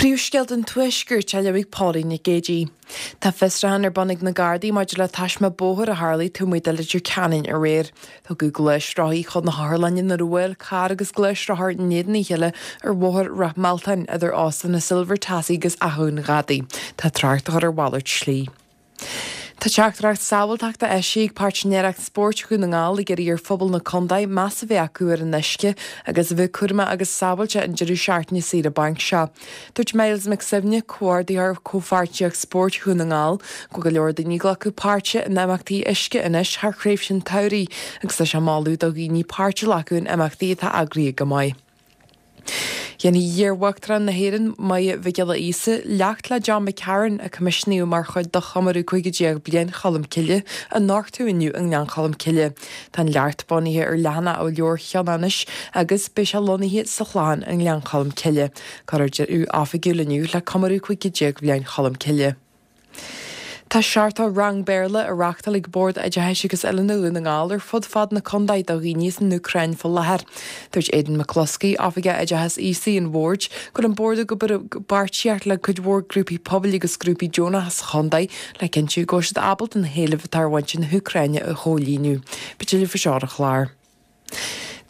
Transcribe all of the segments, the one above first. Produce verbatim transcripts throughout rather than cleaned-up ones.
Príomhscéalta an Tuaiscirt á léamh ag Pauline Nic Géadaigh. Tá fiosrúchán ar bun ag na Gardaí maidir le taisme bóthair a tharlaigh taobh amuigh de Leitir Ceanainn aréir. Tugadh gluaisrothaí chun na hotharlainne nuair a bhuail carr agus gluaisrothar in éadan a chéile ar Bhóthar Ráth Mealtain idir Óstán na Silver Tassie agus Achadh an Ghadaí. Tá trácht á chur ar mhalairt slí. Tá teachtaireacht sábháilteachta eisithe ag Páirtnéireacht Spóirt Dhún na nGall ag iarraidh ar phobal na contae meas a bheith acu ar an uisce agus a bheith cúramach agus sábháilte an deireadh seachtaine saoire bainc seo. Dúirt Myles Mac Suibhne, comhordaitheoir Comhpháirtíocht Spóirt Dhún na nGall, go bhfuil go leor daoine ag glacadh páirte in imeachtaí uisce anois thar thréimhse an tsamhraidh agus tá sé ag moladh do dhaoine páirt a ghlacadh in imeachtaí atá eagraithe go maith. Déanfaidh iar-Uachtarán na hÉireann, Máire Mhic Giolla Íosa, leacht le John McCarron, a coimisiúnaíodh mar chuid de chomóradh cúig déag bliain Cholm Cille, a nochtadh inniu i nGleann Cholm Cille. Tá an leacht bunaithe ar leathanach ó Leabhar Cheanannais agus beidh sé lonnaithe sa Chlochán i nGleann Cholm Cille. Cuirfear deireadh oifigiúil inniu le comóradh cúig déag bliain Cholm Cille. Tá seachtó rang Béarla á reáchtáil ag Bord Oideachais agus Oiliúna Dhún na nGall ar fud fad na contae do dhaoine as an Úcráin faoi láthair. Dúirt Aidan McCluskey, Oifigeach Oideachas Aosaigh an Bhoird, go bhfuil an bord ag obair i bpáirtíocht le cuid mhór grúpaí pobail agus grúpaí deonacha sa chontae le cinntiú go bhfuil siad ábalta na héilimh atá ar mhuintir na hÚcráine a chomhlíonadh. Beidh tuilleadh faoi seo ar an chlár.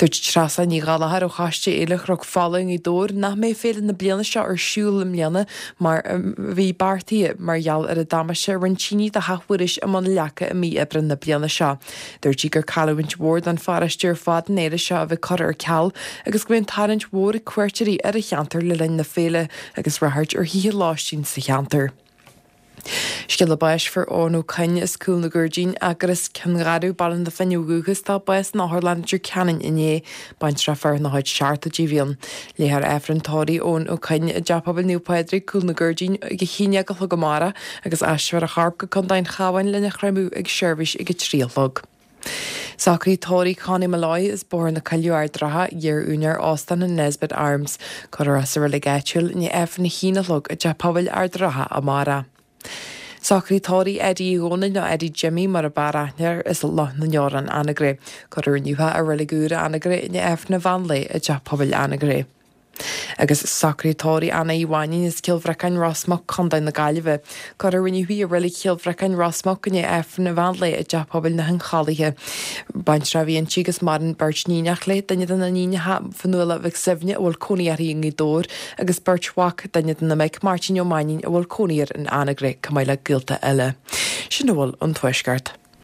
Dúirt Treasa Ní Ghallchóir ó Choiste Fhéile Chnoc Fola i nGaoth Dobhair nach mbeidh féile na bliana seo ar siúl i mbliana mar a bhí beartaithe mar gheall ar an damáiste a rinne tine do Theach Mhuiris i mBun Leaca i mí Aibreán na bliana seo. Dúirt sí gur cailliúint mhór don pharóiste ar fad an fhéile seo a bheith curtha ar ceal agus go mbíonn tarraingt mhór ag cuairteoirí ar an cheantar le linn na féile agus ráchairt ar thithe lóistín sa cheantar. Scéala báis fuair Eoin Ó Coinn as Cúl na gCuirdín agus Cionn Gharbh, Baile na Finne ó dhúchas tá bás in Otharlann Leitir Ceanainn inné. Baintreach fear ina chuid seachtóidí a bhí ann. Léifear Aifreann tórraimh Eoin Ó Coinn i dTeach Pobail Naomh Pádraig, Cúl na gCuirdín ag a haon déag a chlog amárach agus aistreofar a chorp go Contae an Chabháin lena chreimeadh ag seirbhís ag a trí a chlog. Socruithe tórraimh Connie Molloy as Bóthar na Coille Ard an Rátha, iar-úinéir Óstán an Nesbitt Arms. Cuirfear é sa reilig áitiúil i ndiaidh Aifreann a haon a chlog i dTeach Pobail Ard an Rátha amárach. Socruithe tórraimh Eddie Uí Dhónaill nó Eddie Jimmy mar a b'fhearr aithne air as Loch na nDeorán Anagaire. Cuirfear inniu é i reilig úr Anagaire i ndiaidh Aifreann an mheán lae i dTeach Pobail Anagaire. Agus socruithe tórraimh Anna Uí Mhainín as Cill Bhreacáin Ros Muc, Contae na Gaillimhe. Cuirfear inniu í i reilig Chill Bhreacáin Ros Muc i ndiaidh Aifreann an mheán lae i dTeach Pobail na hIncháilithe. Baintreach a bhí inti agus maireann beirt níonach léi, duine de na níonacha Fionnuala Mhic Suibhne a bhfuil cónaí uirthi i nGaoth Dobhair agus beirt mhac, duine de na mic, Máirtín Ó Mainnín a bhfuil cónaí air in Anagaire, chomh maith le gaolta eile. Sin a bhfuil ón Tuaisceart.